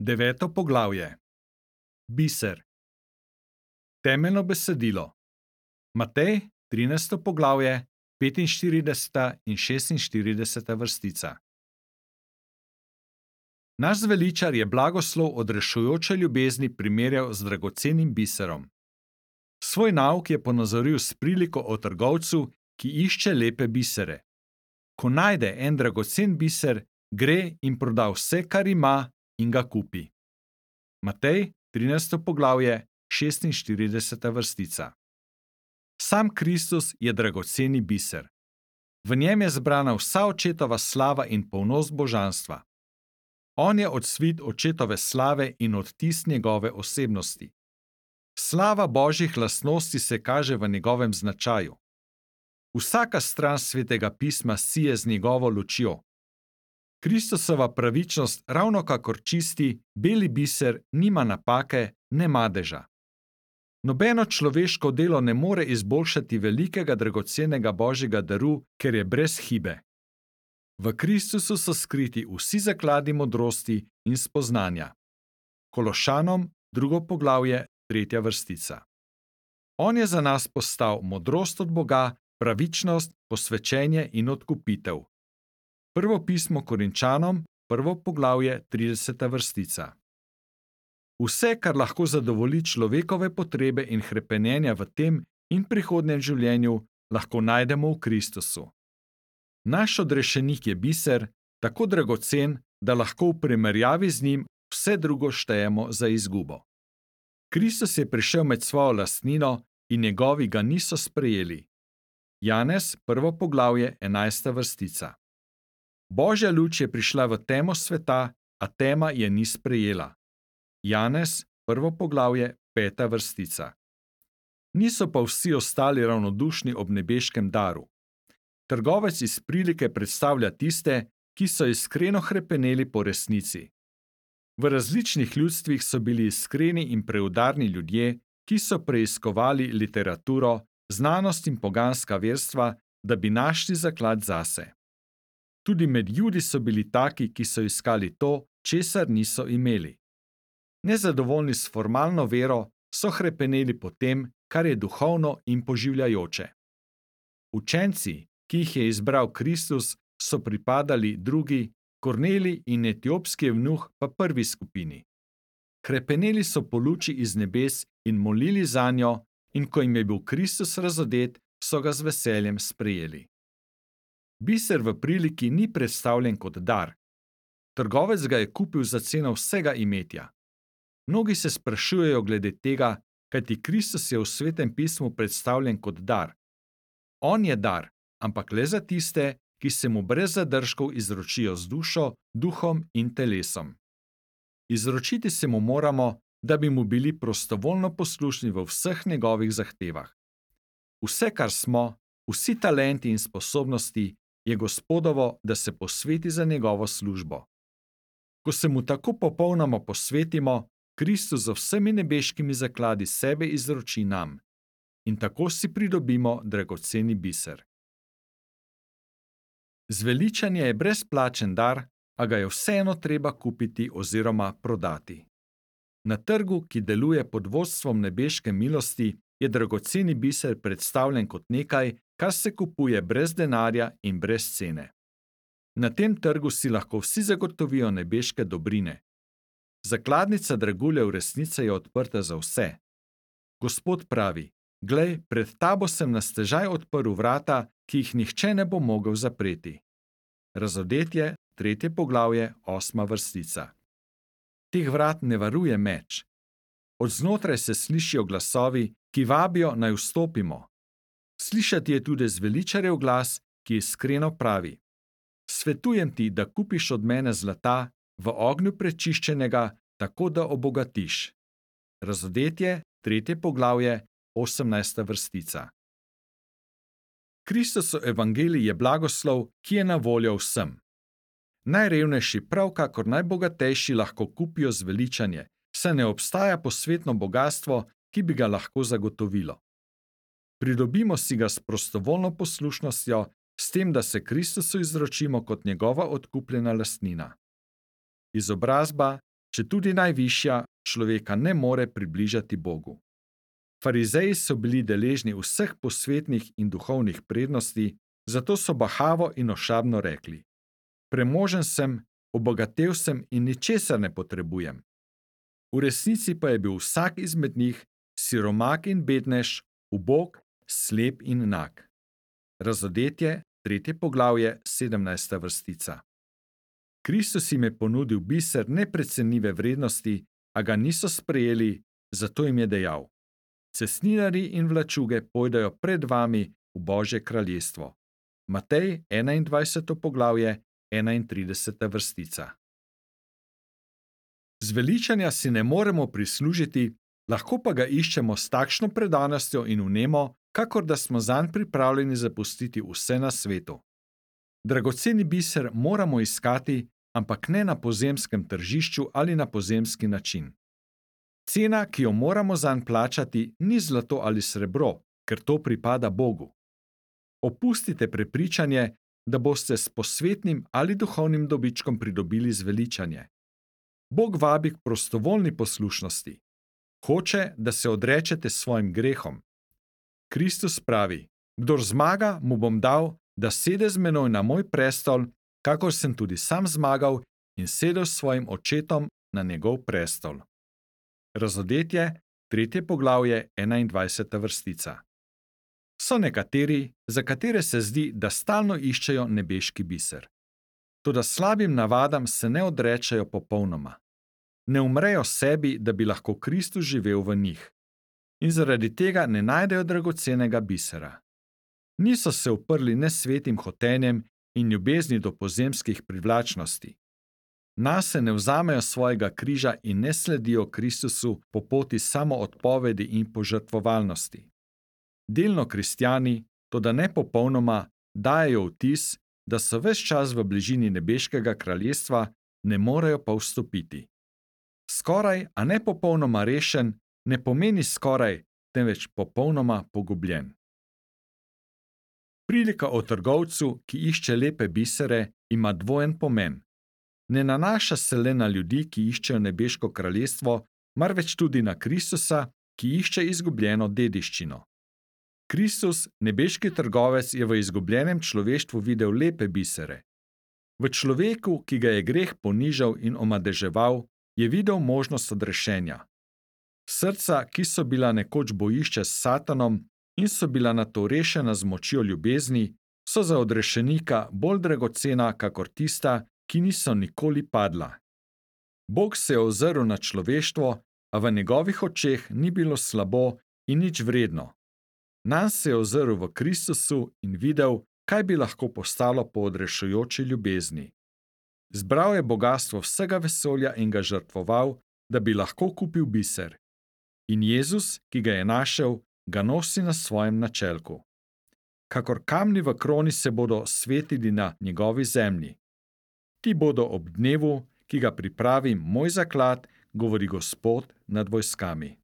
Deveto poglavje. Biser. Temeljno besedilo. Matej, 13. poglavje, 45. in 46. vrstica. Naš zveličar je blagoslov odrešujoče ljubezni primerjal z dragocenim biserom. Svoj nauk je ponazoril s priliko o trgovcu, ki išče lepe bisere. Ko najde en dragocen biser, gre in proda vse, kar ima, in ga kupi. Matej, 13. poglavje, 46. vrstica. Sam Kristus je dragoceni biser. V njem je zbrana vsa očetova slava in polnost božanstva. On je odsvit očetove slave in odtis njegove osebnosti. Slava božjih lastnosti se kaže v njegovem značaju. Vsaka stran svetega pisma sije z njegovo lučjo. Kristusova pravičnost ravno kakor čisti, beli biser nima napake, ne madeža. Nobeno človeško delo ne more izboljšati velikega dragocenega božjega daru, ker je brez hibe. V Kristusu so skriti vsi zakladi modrosti in spoznanja. Kološanom, 2. poglavje, 3. vrstica. On je za nas postal modrost od Boga, pravičnost, posvečenje in odkupitev. Prvo pismo Korinčanom, 1. poglavje, 30. vrstica. Vse, kar lahko zadovolji človekove potrebe in hrepenenja v tem in prihodnjem življenju, lahko najdemo v Kristusu. Naš odrešenik je biser, tako dragocen, da lahko v primerjavi z njim vse drugo štejemo za izgubo. Kristus je prišel med svojo lastnino in njegovi ga niso sprejeli. Janez, 1. poglavje, 11. vrstica. Božja luč je prišla v temo sveta, a tema je ni sprejela. Janez, 1. poglavje, 5. vrstica. Niso pa vsi ostali ravnodušni ob nebeškem daru. Trgovec iz prilike predstavlja tiste, ki so iskreno hrepeneli po resnici. V različnih ljudstvih so bili iskreni in preudarni ljudje, ki so preiskovali literaturo, znanost in poganska verstva, da bi našli zaklad zase. Tudi med Judi so bili taki, ki so iskali to, česar niso imeli. Nezadovoljni s formalno vero, so hrepeneli po tem, kar je duhovno in poživljajoče. Učenci, ki jih je izbral Kristus, so pripadali drugi, Kornelij in etiopski evnuh pa prvi skupini. Hrepeneli so po luči iz nebes in molili zanjo, in ko jim je bil Kristus razodet, so ga z veseljem sprejeli. Biser v priliki ni predstavljen kot dar. Trgovec ga je kupil za ceno vsega imetja. Mnogi se sprašujejo glede tega, kajti Kristus je v svetem pismu predstavljen kot dar. On je dar, ampak le za tiste, ki se mu brez zadržkov izročijo z dušo, duhom in telesom. Izročiti se mu moramo, da bi mu bili prostovoljno poslušni v vseh njegovih zahtevah. Vse, kar smo, vsi talenti in sposobnosti, je Gospodovo, da se posveti za njegovo službo. Ko se mu tako popolnoma posvetimo, Kristus z vsemi nebeškimi zakladi sebe izroči nam. In tako si pridobimo dragoceni biser. Zveličanje je brezplačen dar, a ga je vseeno treba kupiti oziroma prodati. Na trgu, ki deluje pod vodstvom nebeške milosti, je dragoceni biser predstavljen kot nekaj, kar se kupuje brez denarja in brez cene. Na tem trgu si lahko vsi zagotovijo nebeške dobrine. Zakladnica draguljev resnice je odprta za vse. Gospod pravi: Glej, pred tabo sem na stežaj odprl vrata, ki jih nihče ne bo mogel zapreti. Razodetje, 3. poglavje, 8. vrstica. Teh vrat ne varuje meč. Od znotraj se slišijo glasovi, ki vabijo, naj vstopimo. Slišati je tudi zveličarjev glas, ki iskreno pravi: Svetujem ti, da kupiš od mene zlata, v ognju prečiščenega, tako da obogatiš. Razodetje, 3. poglavje, 18. vrstica. Kristusov evangelij je blagoslov, ki je na voljo vsem. Najrevnejši, prav kakor najbogatejši, lahko kupijo zveličanje, saj ne obstaja posvetno bogastvo, ki bi ga lahko zagotovilo. Pridobimo si ga s prostovoljno poslušnostjo, s tem, da se Kristusu izročimo kot njegova odkupljena lastnina. Izobrazba, četudi najvišja, človeka ne more približati Bogu. Farizeji so bili deležni vseh posvetnih in duhovnih prednosti, zato so bahavo in ošabno rekli: Premožen sem, obogatel sem in ničesar ne potrebujem. V resnici pa je bil vsak izmed njih siromak in bednež, ubog, slep in nag. Razodetje, 3. poglavje, 17. vrstica. Kristus jim je ponudil biser neprecenljive vrednosti, a ga niso sprejeli, zato jim je dejal: Cestninarji in vlačuge pojdejo pred vami v Božje kraljestvo. Matej, 21. poglavje, 31. vrstica. Zveličanja si ne moremo prislužiti, lahko pa ga iščemo s takšno predanostjo in vnemo, kakor da smo zanj pripravljeni zapustiti vse na svetu. Dragoceni biser moramo iskati, ampak ne na pozemskem tržišču ali na pozemski način. Cena, ki jo moramo zanj plačati, ni zlato ali srebro, ker to pripada Bogu. Opustite prepričanje, da boste s posvetnim ali duhovnim dobičkom pridobili zveličanje. Bog vabi k prostovoljni poslušnosti. Hoče, da se odrečete svojim grehom. Kristus pravi: Kdor zmaga, mu bom dal, da sede z menoj na moj prestol, kakor sem tudi sam zmagal in sedel s svojim očetom na njegov prestol. Razodetje, 3. poglavje, 21. vrstica. So nekateri, za katere se zdi, da stalno iščejo nebeški biser. Toda slabim navadam se ne odrečejo popolnoma. Ne umrejo sebi, da bi lahko Kristus živel v njih. In zaradi tega ne najdejo dragocenega bisera. Niso se uprli nesvetim hotenjem in ljubezni do pozemskih privlačnosti. Nase ne vzamejo svojega križa in ne sledijo Kristusu po poti samoodpovedi in požrtvovalnosti. Delno kristjani, toda ne popolnoma, dajejo vtis, da so ves čas v bližini nebeškega kraljestva, ne morejo pa vstopiti. Skoraj, a ne popolnoma rešen, ne pomeni skoraj, temveč popolnoma pogubljen. Prilika o trgovcu, ki išče lepe bisere, ima dvojen pomen. Ne nanaša se le na ljudi, ki iščejo nebeško kraljestvo, marveč tudi na Kristusa, ki išče izgubljeno dediščino. Kristus, nebeški trgovec, je v izgubljenem človeštvu videl lepe bisere. V človeku, ki ga je greh ponižal in omadeževal, je videl možnost odrešenja. Srca, ki so bila nekoč bojišče s Satanom in so bila nato rešena z močjo ljubezni, so za odrešenika bolj dragocena kakor tista, ki niso nikoli padla. Bog se je ozrl na človeštvo, a v njegovih očeh ni bilo slabo in nič vredno. Nanj se je ozrl v Kristusu in videl, kaj bi lahko postalo po odrešujoči ljubezni. Zbral je bogastvo vsega vesolja in ga žrtvoval, da bi lahko kupil biser. In Jezus, ki ga je našel, ga nosi na svojem načelku. Kakor kamni v kroni se bodo svetili na njegovi zemlji. Ti bodo ob dnevu, ki ga pripravi moj zaklad, govori Gospod nad vojskami.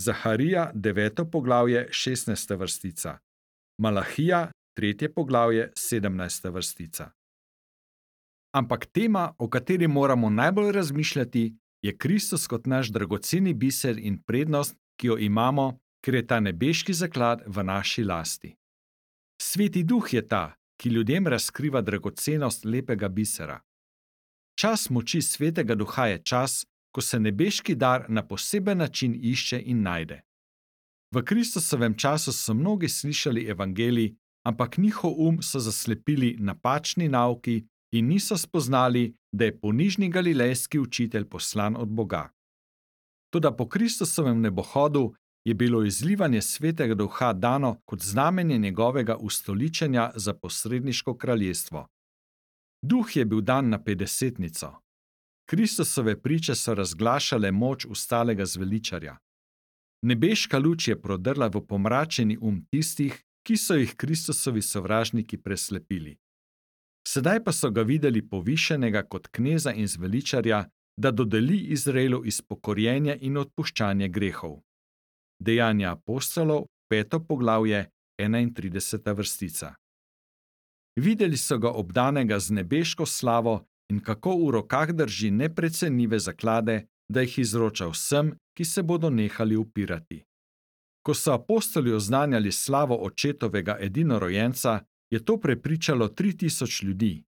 Zaharija, 9. poglavje, 16. vrstica. Malahija, 3. poglavje, 17. vrstica. Ampak tema, o kateri moramo najbolj razmišljati, je Kristus kot naš dragoceni biser in prednost, ki jo imamo, ker je ta nebeški zaklad v naši lasti. Sveti Duh je ta, ki ljudem razkriva dragocenost lepega bisera. Čas moči Svetega Duha je čas, ko se nebeški dar na poseben način išče in najde. V Kristusovem času so mnogi slišali evangelij, ampak njihov so zaslepili napačni nauki in niso spoznali, da je ponižni galilejski učitelj poslan od Boga. Toda po Kristusovem nebohodu je bilo izlivanje Svetega Duha dano kot znamenje njegovega ustoličenja za posredniško kraljestvo. Duh je bil dan na petdesetnico. Kristusove priče so razglašale moč ustalega zveličarja. Nebeška luč je prodrla v pomračeni tistih, ki so jih Kristusovi sovražniki preslepili. Sedaj pa so ga videli povišenega kot kneza in zveličarja, da dodeli Izraelu izpokorjenje in odpuščanje grehov. Dejanja apostolov, 5. poglavje, 31. vrstica. Videli so ga obdanega z nebeško slavo in kako v rokah drži neprecenljive zaklade, da jih izroča vsem, ki se bodo nehali upirati. Ko so apostoli oznanjali slavo očetovega edinorojenca, je to prepričalo 3000 ljudi.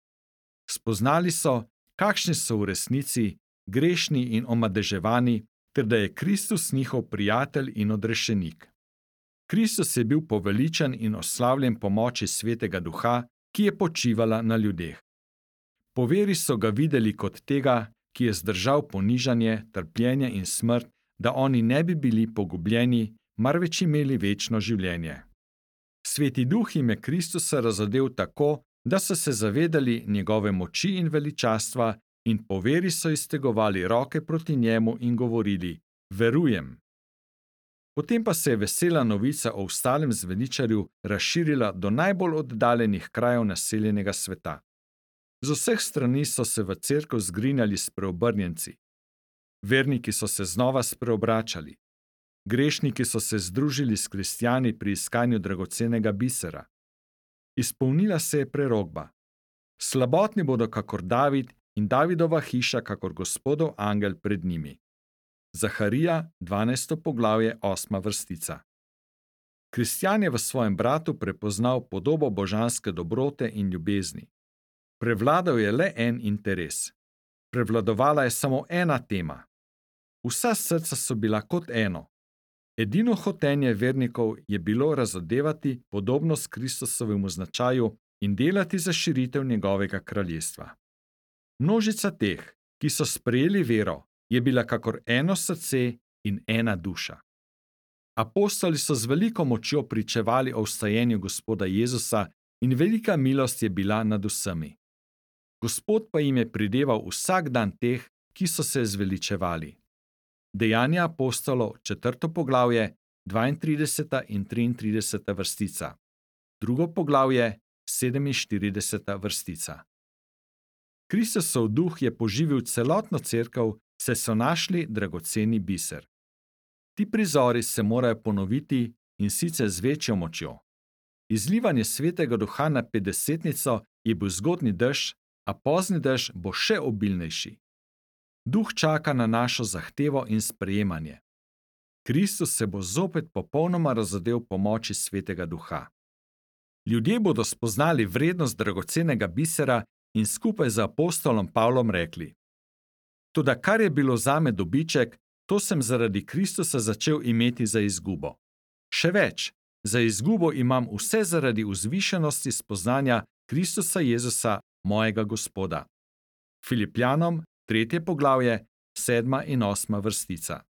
Spoznali so, kakšni so v resnici, grešni in omadeževani, ter da je Kristus njihov prijatelj in odrešenik. Kristus je bil poveličan in oslavljen po moči Svetega Duha, ki je počivala na ljudeh. Po veri so ga videli kot tega, ki je zdržal ponižanje, trpljenje in smrt, da oni ne bi bili pogubljeni, marveč imeli večno življenje. Sveti Duh jim je Kristusa razodel tako, da so se zavedali njegove moči in veličastva in po veri so iztegovali roke proti njemu in govorili: Verujem. Potem pa se je vesela novica o vstalem zveličarju razširila do najbolj oddaljenih krajev naseljenega sveta. Z vseh strani so se v cerkev zgrinjali spreobrnjenci. Verniki so se znova spreobračali. Grešniki so se združili s kristjani pri iskanju dragocenega bisera. Izpolnila se je prerokba. Slabotni bodo kakor David in Davidova hiša kakor Gospodov angel pred njimi. Zaharija, 12. poglavje, 8. vrstica. Kristjan je v svojem bratu prepoznal podobo božanske dobrote in ljubezni. Prevladal je le en interes. Prevladovala je samo ena tema. Vsa srca so bila kot eno. Edino hotenje vernikov je bilo razodevati podobnost Kristusovemu značaju in delati za širitev njegovega kraljestva. Množica teh, ki so sprejeli vero, je bila kakor eno srce in ena duša. Apostoli so z veliko močjo pričevali o vstajenju Gospoda Jezusa in velika milost je bila nad vsemi. Gospod pa jim je prideval vsak dan teh, ki so se zveličevali. Dejanja apostolov, 4. poglavje, 32. in 33. vrstica. 2. poglavje, 47. vrstica. Kristusov duh je poživil celotno cerkev, saj so našli dragoceni biser. Ti prizori se morajo ponoviti in sicer z večjo močjo. Izlivanje Svetega Duha na petdesetnico je bil zgodnji dež, a pozni dež bo še obilnejši. Duh čaka na našo zahtevo in sprejemanje. Kristus se bo zopet popolnoma razodel po moči Svetega Duha. Ljudje bodo spoznali vrednost dragocenega bisera in skupaj z apostolom Pavlom rekli: Toda kar je bilo zame dobiček, to sem zaradi Kristusa začel imeti za izgubo. Še več, za izgubo imam vse zaradi vzvišenosti spoznanja Kristusa Jezusa, mojega Gospoda. Filipljanom, 3. poglavje, 7. in 8. vrstica.